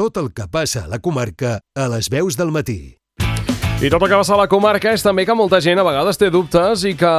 Tot el que passa a la comarca a les veus del matí. I tot el que passa a la comarca és també que molta gent a vegades té dubtes i que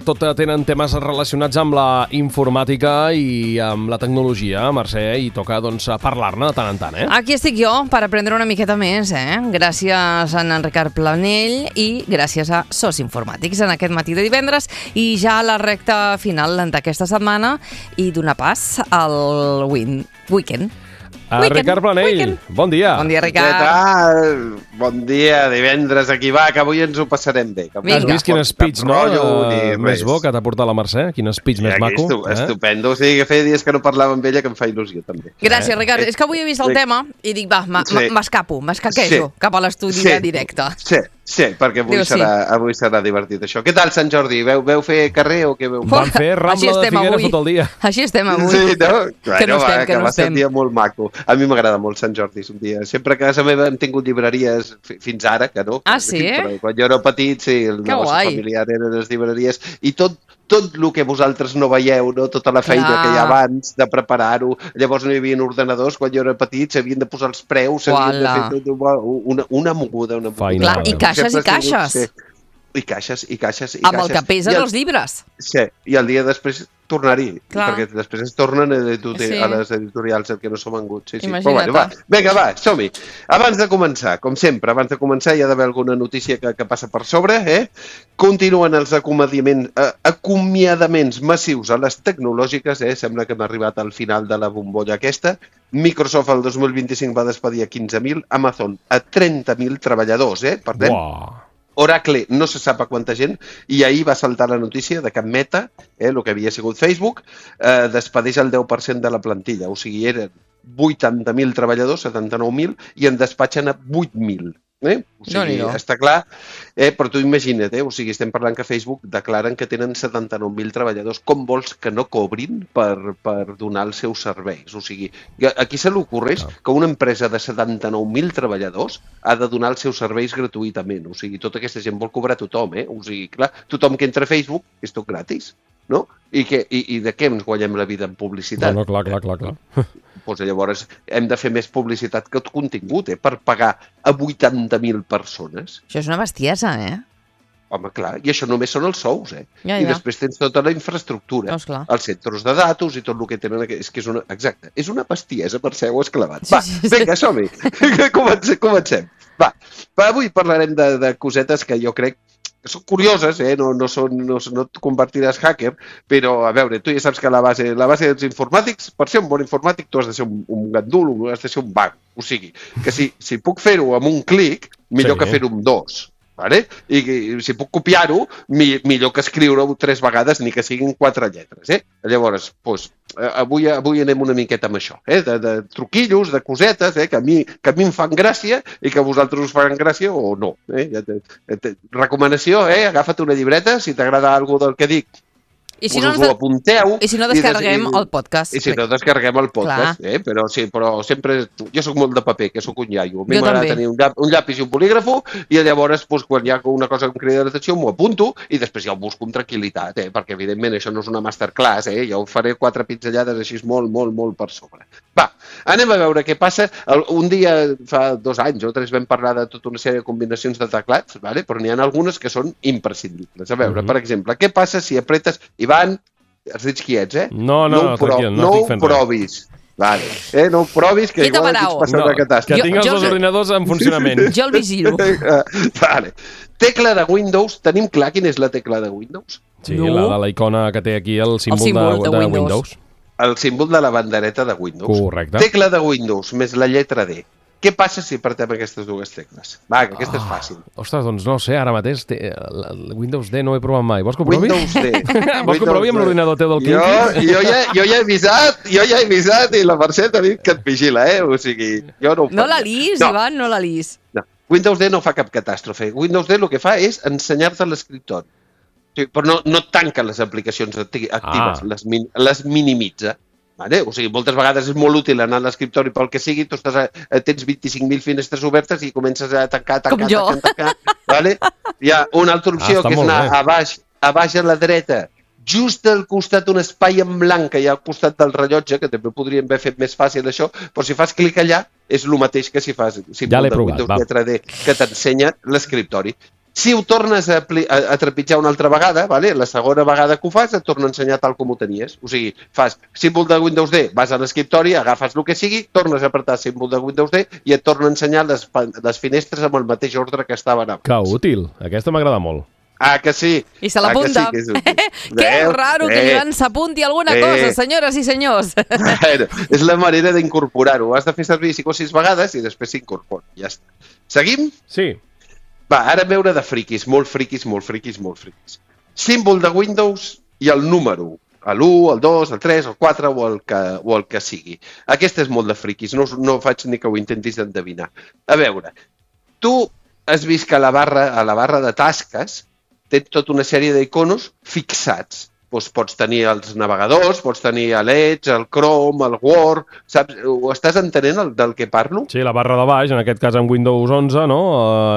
tot tenen temes relacionats amb la informàtica i amb la tecnologia, Mercè, i toca doncs parlar-ne de tant en tant, Aquí estic jo per aprendre una miqueta més, Gràcies a en Ricard Planell i gràcies a SOS Informàtics en aquest matí de divendres i ja a la recta final d'aquesta setmana i donar pas al weekend. Ricard Planell, bon dia. Bon dia, Ricard. Què tal? Bon dia, divendres, aquí va, que avui ens ho passarem bé. Has vist quin speech, no? Més bo que t'ha portat la Mercè? Quin speech més maco. Estupendo. O sigui, que feia dies que no parlava amb ella, que em fa il·lusió, també. Gràcies, Ricard. És que avui he vist el tema i dic, va, m'escaquejo cap a l'estudi de directe. Sí, perquè avui serà divertit, això. Què tal, Sant Jordi? Veu fer carrer o què veu? Van fer Rambla de Figueres tot el dia. Així estem avui. Sí, no? Que no estem. Va ser un dia molt maco. A mi m'agrada molt Sant Jordi, és un dia. Sempre que a casa meva hem tingut llibreries fins ara, que no. Ah, sí? Però quan jo era petit, sí, el negoci familiar eren les llibreries. I tot el que vosaltres no veieu, no? Tota la feina que hi ha abans de preparar-ho. Llavors no hi havia ordinadors, quan jo era petit s'havien de posar els preus, s'havien de fer una moguda. Clar, i caixes i caixes. I caixes. Amb el que pesen els llibres. Sí, i el dia després tornar-hi, perquè després es tornen a les editorials el que no s'ha vengut. Sí. Però bueno, vinga, som-hi. Abans de començar, com sempre, hi ha d'haver alguna notícia que passa per sobre. Continuen els acomiadaments massius a les tecnològiques. Sembla que hem arribat al final de la bombolla aquesta. Microsoft el 2025 va despedir a 15.000, Amazon a 30.000 treballadors. Per tant, Oracle no se sap a quanta gent, i ahir va saltar la notícia de que Meta, el que havia sigut Facebook, despedeix el 10% de la plantilla. O sigui, eren 80.000 treballadors, 79.000, i en despatxen a 8.000. O sigui, està clar, però tu imagina't, o sigui, estem parlant que Facebook declaren que tenen 79.000 treballadors. Com vols que no cobrin per donar els seus serveis? O sigui, aquí se li ocorreix que una empresa de 79.000 treballadors ha de donar els seus serveis gratuïtament. O sigui, tota aquesta gent vol cobrar tothom, O sigui, clar, tothom que entra a Facebook és tot gratis, no? I de què ens guanyem la vida en publicitat? No, clar. Doncs llavors hem de fer més publicitat que contingut, per pagar a 80.000 persones. Això és una bestiesa, Home, clar, i això només són els sous, Ja. I després tens tota la infraestructura, els centres de datos i tot el que tenen. És que és una bestiesa, Mercè, ho has clavat. Vinga, som-hi. Comencem. Va, avui parlarem de cosetes que jo crec que són curioses, no et convertiràs hacker, però, a veure, tu ja saps que la base dels informàtics, per ser un bon informàtic, tu has de ser un gandul, has de ser un vago. O sigui, que si puc fer-ho amb un clic, millor que fer-ho amb dos. I si puc copiar-ho, millor que escriure-ho 3 vegades, ni que siguin 4 lletres. Llavors, avui anem una miqueta amb això, de truquillos, de cosetes, que a mi em fan gràcia i que a vosaltres us fan gràcia o no. Recomanació, agafa't una llibreta, si t'agrada alguna del que dic, I si us ho apunteu. I si no descarreguem el podcast. I si no descarreguem el podcast, però sempre... Jo sóc molt de paper, que sóc un iaio. A mi m'agrada tenir un llapis i un bolígrafo i llavors, quan hi ha una cosa que em crida l'atenció, m'ho apunto i després ja ho busco amb tranquil·litat, perquè evidentment això no és una masterclass, jo ho faré 4 pinzellades així molt per sobre. Va, anem a veure què passa. Un dia, fa 2 anys o 3, vam parlar de tota una sèrie de combinacions de teclats, però n'hi ha algunes que són imprescindibles. A veure, per exemple, què passa si apretes... Ivan, has dit quiets, No estic fent provis. Vale. No ho provis, que igual aquí ets passant una catàstrofe. Que tinc els 2 ordinadors en funcionament. Jo el vigilo. Vale. Tecla de Windows. Tenim clar quina és la tecla de Windows? Sí, la icona que té aquí el símbol de Windows. El símbol de la bandereta de Windows. Correcte. Tecla de Windows més la lletra D. Què passa si apretem aquestes 2 tecles? Va, que aquesta és fàcil. Ostres, doncs no sé, ara mateix Windows D no ho he provat mai. Vols que ho provi? Windows D. Vols que ho provi amb l'ordinador teu del Kinky? Jo ja he avisat i la Mercè t'ha dit que et vigila, O sigui, jo no ho faig. No la lis, Ivan, no la lis. Windows D no fa cap catàstrofe. Windows D el que fa és ensenyar-te l'escriptori. Però no tanca les aplicacions actives, les minimitza. O sigui, moltes vegades és molt útil anar a l'escriptori pel que sigui, tu tens 25.000 finestres obertes i comences a tancar. Hi ha una altra opció, que és anar a baix a la dreta just al costat un espai en blanc que hi ha al costat del rellotge, que també podríem haver fet més fàcil això, però si fas clic allà és el mateix que si fas símbol de Windows lletra D, que t'ensenya l'escriptori. Si ho tornes a trepitjar una altra vegada, la segona vegada que ho fas et torna a ensenyar tal com ho tenies. O sigui, fas símbol de Windows D, vas a l'escriptori, agafes el que sigui, tornes a apretar símbol de Windows D i et torna a ensenyar les finestres amb el mateix ordre que estaven abans. Que útil, aquesta m'agrada molt. Ah, que sí. I se l'apunta. Sí, que raro que l'Ivan s'apunti alguna cosa, senyores i senyors. És la manera d'incorporar-ho. Has de fer servir 5 o 6 vegades i després s'incorpora. Ja està. Seguim? Sí. Va, ara veure de friquis, molt friquis. Símbol de Windows i el número, l'1, el 2, el 3, el 4 o el que sigui. Aquest és molt de friquis, no faig ni que ho intentis endevinar. A veure, tu has vist que a la barra de tasques tens tota una sèrie d'iconos fixats. Doncs pots tenir els navegadors, pots tenir l'Edge, el Chrome, el Word, saps? Ho estàs entenent del que parlo? Sí, la barra de baix, en aquest cas en Windows 11, no?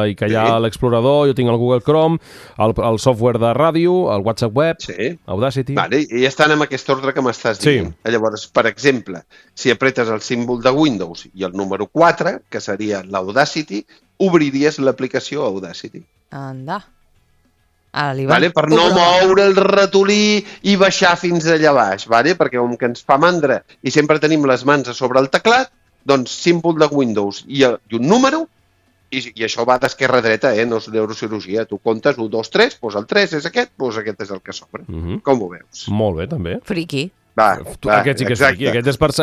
I que hi ha l'explorador, jo tinc el Google Chrome, el software de ràdio, el WhatsApp web, Audacity... Vale, i estan en aquest ordre que m'estàs dient. Llavors, per exemple, si apretes el símbol de Windows i el número 4, que seria l'Audacity, obriries l'aplicació Audacity. Anda. Per no moure el ratolí i baixar fins allà baix, perquè com que ens fa mandra i sempre tenim les mans a sobre el teclat, doncs símbol de Windows i un número, i això va d'esquerra a dreta, no és neurocirurgia. Tu comptes 1, 2, 3, doncs el 3 és aquest, doncs aquest és el que s'obre. Com ho veus? Molt bé, també. Friqui. Aquest sí que és friqui, aquest és per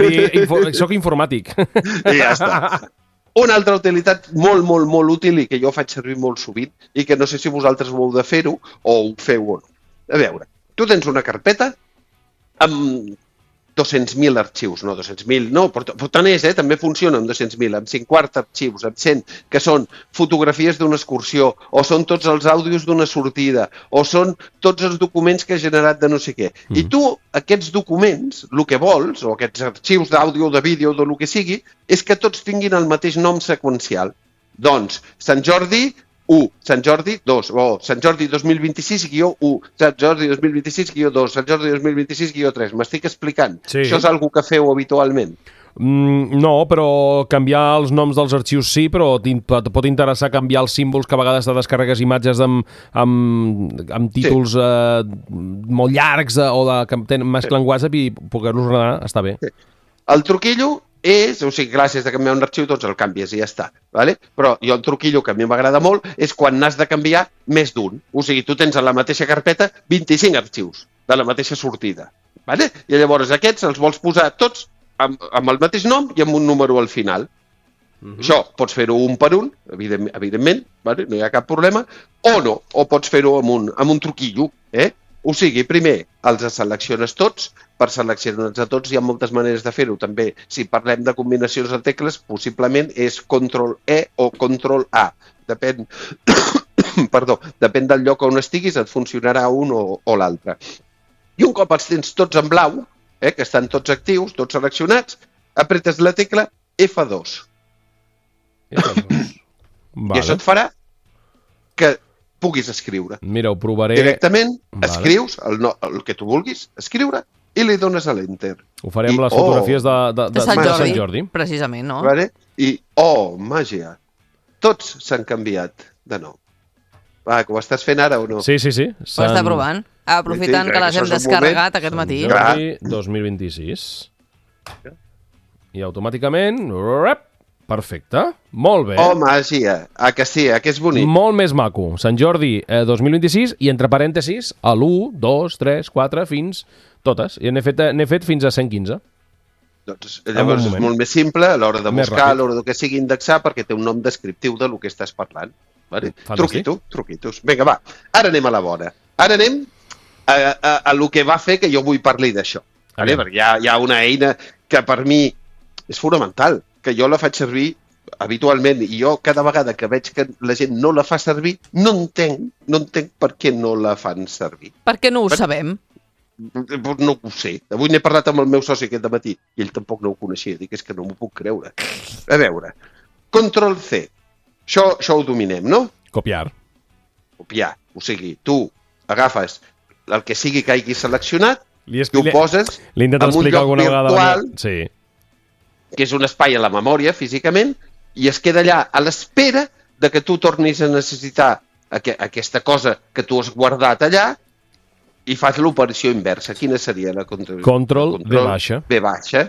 dir soc informàtic. I ja està. Una altra utilitat molt útil i que jo faig servir molt sovint i que no sé si vosaltres ho heu de fer-ho o ho feu o no. A veure, tu tens una carpeta amb 200.000 arxius, no 200.000, no, però tant és, també funciona amb 200.000, amb 50 arxius, amb 100, que són fotografies d'una excursió, o són tots els àudios d'una sortida, o són tots els documents que has generat de no sé què. I tu, aquests documents, el que vols, o aquests arxius d'àudio, de vídeo, del que sigui, és que tots tinguin el mateix nom seqüencial. Doncs, Sant Jordi 1, Sant Jordi 2, o Sant Jordi 2026-1, Sant Jordi 2026-2, Sant Jordi 2026-3. M'estic explicant? Sí. Això és algo que feu habitualment? No, però canviar els noms dels arxius sí, però pot interessar canviar els símbols que a vegades te descarregues imatges amb títols molt llargs o que tenen mesclen WhatsApp i poder-los ordenar està bé. El truquillo és, o sigui, gràcies a canviar un arxiu, doncs el canvies i ja està. Però jo el truquillo que a mi m'agrada molt és quan n'has de canviar més d'un. O sigui, tu tens a la mateixa carpeta 25 arxius de la mateixa sortida. I llavors aquests els vols posar tots amb el mateix nom i amb un número al final. Això pots fer-ho un per un, evidentment, no hi ha cap problema, o no, o pots fer-ho amb un truquillo. O sigui, primer els selecciones tots. Per seleccionar-los a tots hi ha moltes maneres de fer-ho. També, si parlem de combinacions de tecles, possiblement és Ctrl-E o Ctrl-A. Depèn del lloc on estiguis, et funcionarà un o l'altre. I un cop els tens tots en blau, que estan tots actius, tots seleccionats, apretes la tecla F2. I això et farà que puguis escriure. Mira, ho provaré. Directament escrius el que tu vulguis escriure i li dones a l'Enter. Ho faré amb les fotografies de Sant Jordi. Precisament, no? I, màgia, tots s'han canviat de nou. Que ho estàs fent ara o no? Sí. Ho està provant. Aprofitant que les hem descarregat aquest matí. Sant Jordi 2026. I automàticament... Perfecte, molt bé. Màgia, que sí, que és bonic. Molt més maco. Sant Jordi 2026 i entre parèntesis l'1, 2, 3, 4 fins totes. I n'he fet fins a 115. Doncs llavors és molt més simple a l'hora de buscar, a l'hora que sigui indexar, perquè té un nom descriptiu del que estàs parlant. Truquitos. Vinga, va, ara anem a la bona. Ara anem a lo que va fer que jo vull parlar d'això. Perquè hi ha una eina que per mi és fonamental, que jo la faig servir habitualment, i jo cada vegada que veig que la gent no la fa servir, no entenc per què no la fan servir. Perquè no ho sabem. No ho sé. Avui n'he parlat amb el meu soci aquest matí, i ell tampoc no ho coneixia. Dic, és que no m'ho puc creure. A veure, Ctrl-C. Això ho dominem, no? Copiar. O sigui, tu agafes el que sigui que hagi seleccionat, i ho poses en un lloc virtual, sí, que és un espai a la memòria físicament, i es queda allà a l'espera de que tu tornis a necessitar aquesta cosa que tu has guardat allà i fas l'operació inversa. Quina seria la control? Control V baixa. V baixa,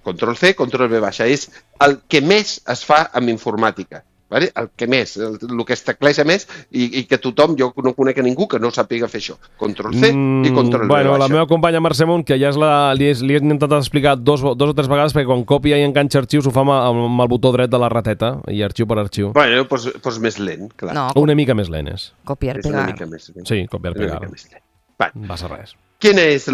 Control C, control V baixa. És el que més es fa amb informàtica. Vale? El que més, el que es tecleja més i que tothom, jo no conec a ningú que no sàpiga fer això. Control C i control V baixa. La meva companya Mercè Munt, que ja li he intentat explicar dos o tres vegades, perquè quan copia i enganxa arxius ho fa amb el botó dret de la rateta, i arxiu per arxiu. Bueno, doncs més lent, clar. No, una mica més lent és. Copiar, és pegar. una mica més lent. Sí, copiar, pegar. Va ser res. Quina és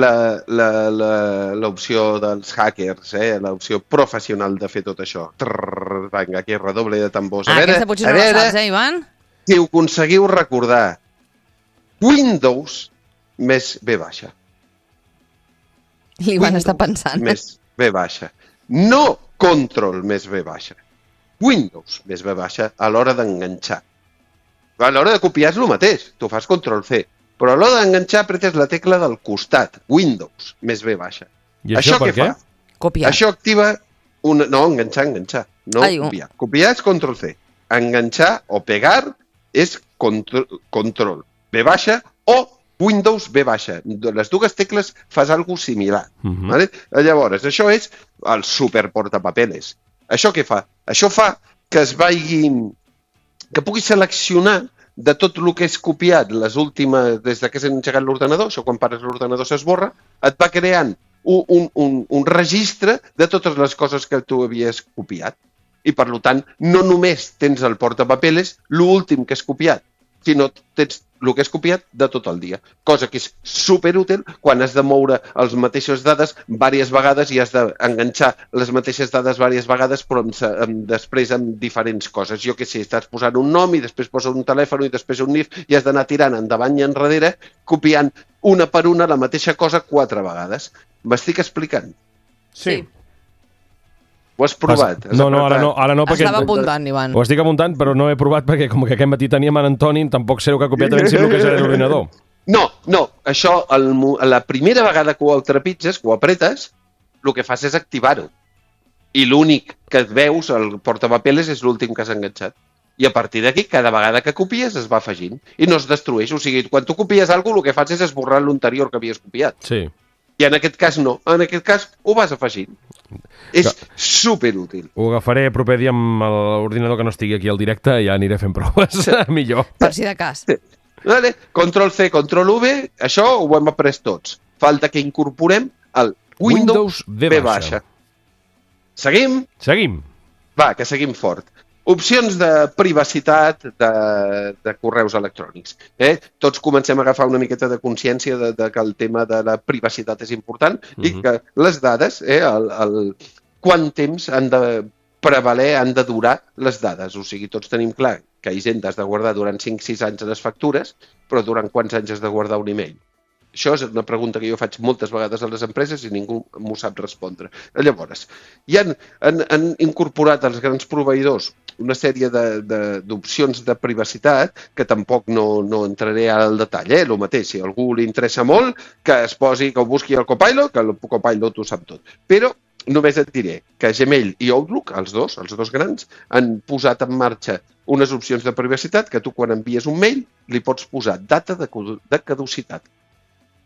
l'opció dels hackers, l'opció professional de fer tot això? Vinga, aquí redoble de tambors. Aquesta potser no la saps, Ivan? Si ho aconseguiu recordar, Windows més V baixa. L'Ivan està pensant. Més V baixa. No Control més V baixa. Windows més V baixa a l'hora d'enganxar. A l'hora de copiar és el mateix. Tu fas Control C. Però a l'hora d'enganxar apretes la tecla del costat, Windows, més V baixa. I això per què? Copiar. Això activa una... No, enganxar. No copiar. Copiar és Control C. Enganxar o pegar és Control V baixa o Windows V baixa. Les dues tecles fas alguna cosa similar. Vale? Llavors, això és el super portapapeles. Això què fa? Això fa que que pugui seleccionar de tot el que és copiat les últimes, des que s'ha engegat l'ordenador, això quan pares l'ordenador s'esborra, et va creant un registre de totes les coses que tu havies copiat. I, per tant, no només tens el portapapeles, l'últim que has copiat, sinó tens el que has copiat de tot el dia. Cosa que és superútil quan has de moure les mateixes dades diverses vegades i has d'enganxar les mateixes dades diverses vegades, però després amb diferents coses. Jo què sé, estàs posant un nom i després posa un telèfon i després un NIF i has d'anar tirant endavant i enrere, copiant una per una la mateixa cosa 4 vegades. M'estic explicant? Sí. Ho has provat? No, ara no, perquè... Estava apuntant, Ivan. Ho estic apuntant, però no he provat perquè com que aquest matí teníem en Antoni, tampoc sé el que ha copiat ben si el que és l'ordinador. No, això, la primera vegada que ho trepitges, que ho apretes, el que fas és activar-ho. I l'únic que et veus, el portapapeles, és l'últim que has enganxat. I a partir d'aquí, cada vegada que copies, es va afegint. I no es destrueix. O sigui, quan tu copies alguna cosa, el que fas és esborrar l'anterior que havies copiat. Sí. I en aquest cas no. En aquest cas ho vas afegint. És superútil. Ho agafaré proper dia amb l'ordinador que no estigui aquí al directe i ja aniré fent proves. Millor. Per si de cas. Sí. Vale. Control C, control V, això ho hem après tots. Falta que incorporem el Windows V baixa. Seguim? Seguim. Va, que seguim fort. Opcions de privacitat de correus electrònics. Tots comencem a agafar una miqueta de consciència de que el tema de la privacitat és important i que les dades, quant temps han de prevaler, han de durar les dades. O sigui, tots tenim clar que Hisenda has de guardar durant 5-6 anys les factures, però durant quants anys has de guardar un email? Això és una pregunta que jo faig moltes vegades a les empreses i ningú m'ho sap respondre. Llavors, ja han incorporat els grans proveïdors una sèrie d'opcions de privacitat que tampoc no entraré al detall. El mateix, si a algú li interessa molt, que es posi, que ho busqui al Copilot, que el Copilot ho sap tot. Però només et diré que Gmail i Outlook, els dos grans, han posat en marxa unes opcions de privacitat que tu quan envies un mail li pots posar data de caducitat.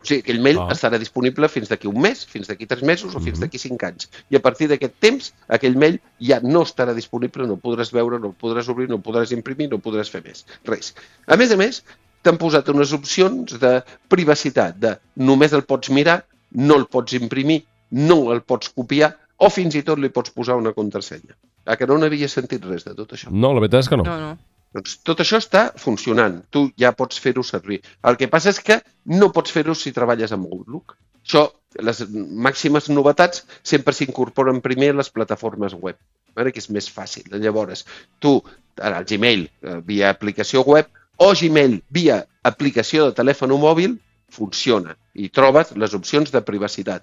O sigui, aquell mail estarà disponible fins d'aquí un mes, fins d'aquí 3 mesos o fins d'aquí 5 anys. I a partir d'aquest temps, aquell mail ja no estarà disponible, no el podràs veure, no el podràs obrir, no el podràs imprimir, no el podràs fer més. Res. A més, t'han posat unes opcions de privacitat, de només el pots mirar, no el pots imprimir, no el pots copiar o fins i tot li pots posar una contrasenya. Que no n'havia sentit res de tot això? No, la veritat és que no. No. Doncs tot això està funcionant. Tu ja pots fer-ho servir. El que passa és que no pots fer-ho si treballes amb Outlook. Això, les màximes novetats sempre s'incorporen primer a les plataformes web, que és més fàcil. Llavors, tu, el Gmail via aplicació web o Gmail via aplicació de telèfon mòbil, funciona i trobes les opcions de privacitat.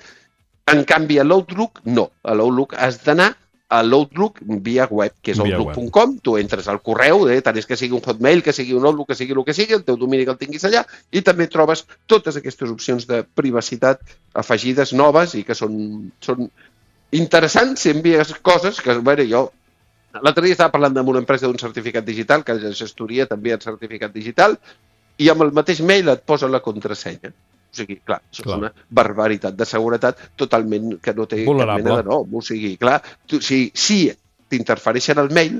En canvi, a l'Outlook, no. A l'Outlook has d'anar a l'Outlook via web, que és outlook.com, tu entres al correu, tant és que sigui un Hotmail, que sigui un Outlook, que sigui el que sigui, el teu domini que el tinguis allà, i també trobes totes aquestes opcions de privacitat afegides noves i que són interessants si envies coses que, jo l'altre dia estava parlant amb una empresa d'un certificat digital, que la gestoria també ha certificat digital, i amb el mateix mail et posa la contrasenya. O sigui, clar, això és una barbaritat de seguretat totalment que no té cap mena de nom. O sigui, clar, si t'interfereixen el mail,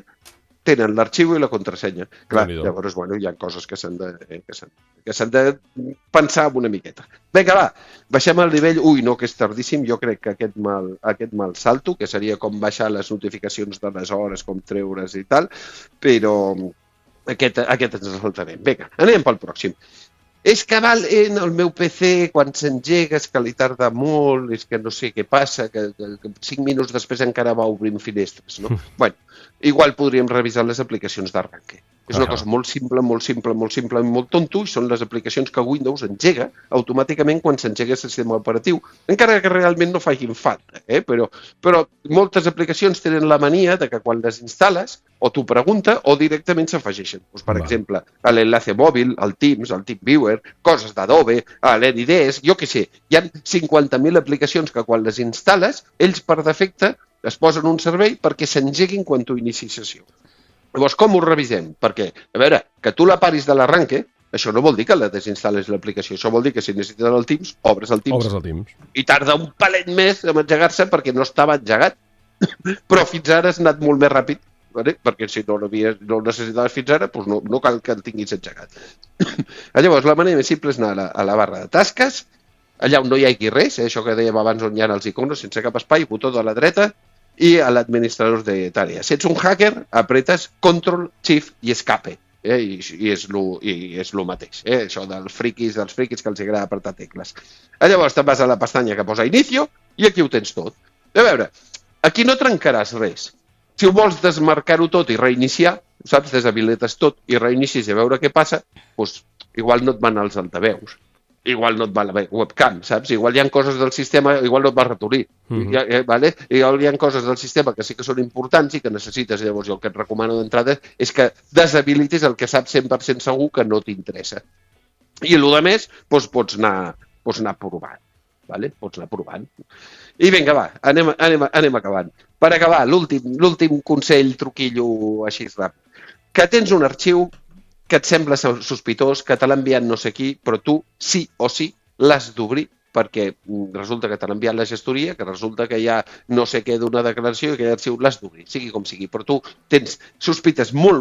tenen l'arxiu i la contrasenya. Clar, llavors, hi ha coses que s'han de pensar una miqueta. Vinga, va, baixem al nivell... No, que és tardíssim, jo crec que aquest mal salto, que seria com baixar les notificacions de les hores, com treure's i tal, però aquest ens el saltarem. Vinga, anem pel pròxim. És que en el meu PC, quan s'engega, és que li tarda molt, és que no sé què passa, que 5 minuts després encara va obrint finestres, no? Igual podríem revisar les aplicacions d'arranque. És una cosa molt simple, molt tonto, i són les aplicacions que Windows engega automàticament quan s'engega el sistema operatiu, encara que realment no facin falta, però moltes aplicacions tenen la mania de que quan les instal·les o t'ho pregunta o directament s'afegeixen. Per exemple, l'enlace mòbil, el Teams, el TeamViewer, coses d'Adobe, l'Anydesk, jo què sé. Hi ha 50.000 aplicacions que quan les instal·les, ells per defecte es posen un servei perquè s'engeguin quan tu inicis sessió. Llavors, com ho revisem? Perquè, a veure, que tu la paris de l'arranque, això no vol dir que la desinstal·les l'aplicació, això vol dir que si necessites el Teams, obres el Teams. I tarda un palet més en engegar-se perquè no estava engegat. Però fins ara has anat molt més ràpid, perquè si no el necessitaves fins ara, doncs no cal que el tinguis engegat. Llavors, la manera més simple és anar a la barra de tasques, allà on no hi hagi res, això que dèiem abans on hi ha els iconos, sense cap espai, botó de la dreta, i a l'administrador de tàrees. Si ets un hacker, apretes Control, Shift i Escape, i és el mateix, això dels friquis que els agrada apretar tecles. Llavors te'n vas a la pestanya que posa Inicio i aquí ho tens tot. A veure, aquí no trencaràs res. Si ho vols desmarcar-ho tot i reiniciar, saps, deshabilites tot i reinicis i a veure què passa, doncs igual no et van els altaveus. Igual no et va la webcam, saps? Igual hi ha coses del sistema, igual no et va ratolí. Igual hi ha coses del sistema que sí que són importants i que necessites. Llavors, jo el que et recomano d'entrada és que deshabilitis el que saps 100% segur que no t'interessa. I el que més, pots anar provant. Pots anar provant. I vinga, va, anem acabant. Per acabar, l'últim consell, truquillo així ràpid. Que tens un arxiu que et sembla sospitós, que te l'ha enviat no sé qui, però tu sí o sí l'has d'obrir perquè resulta que te l'ha enviat la gestoria, que resulta que hi ha no sé què d'una declaració i que l'arxiu l'has d'obrir, sigui com sigui. Però tu tens sospites molt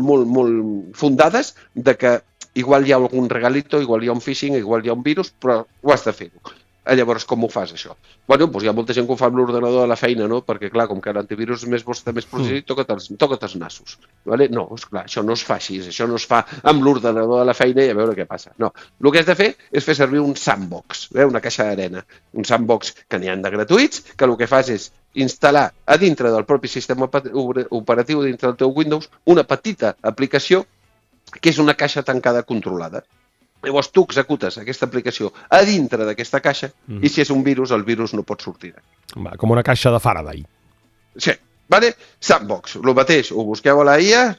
fundades de que igual hi ha algun regalito, igual hi ha un phishing, igual hi ha un virus, però ho has de fer-ho. Llavors, com ho fas, això? Doncs hi ha molta gent que ho fa amb l'ordenador a la feina, no? Perquè, clar, com que l'antivirus està més protegit, toca't els nassos. No, esclar, això no es fa així, això no es fa amb l'ordenador a la feina i a veure què passa. No, el que has de fer és fer servir un sandbox, una caixa d'arena. Un sandbox que n'hi ha de gratuïts, que el que fas és instal·lar a dintre del propi sistema operatiu, dintre del teu Windows, una petita aplicació que és una caixa tancada controlada. Llavors tu executes aquesta aplicació a dintre d'aquesta caixa i si és un virus, el virus no pot sortir. Com una caixa de Faraday. Sí, Sandbox, el mateix, ho busqueu a la IA,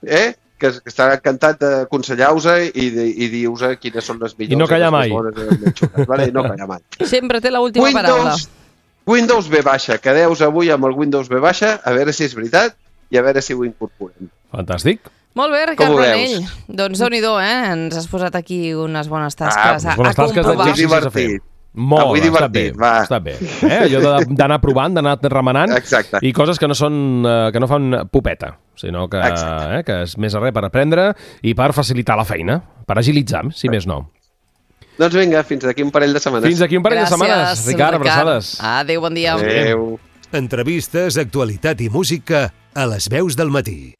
que estarà encantat d'aconsellar-vos i dir-vos quines són les millors. I no callar mai. No callar mai. Sempre té l'última paraula. Windows V baixa, quedeu-vos avui amb el Windows V baixa, a veure si és veritat i a veure si ho incorporem. Fantàstic. Molt bé, Ricard Planell. Doncs déu-n'hi-do, ens has posat aquí unes bones tasques a comprovar. Divertit. Molt, està bé. Allò d'anar provant, d'anar remenant. Exacte. I coses que no fan popeta, sinó que és més a res per aprendre i per facilitar la feina, per agilitzar, si més no. Doncs vinga, fins d'aquí un parell de setmanes. Fins d'aquí un parell de setmanes. Ricard, abraçades. Adéu, bon dia. Adéu. Entrevistes, actualitat i música a les veus del matí.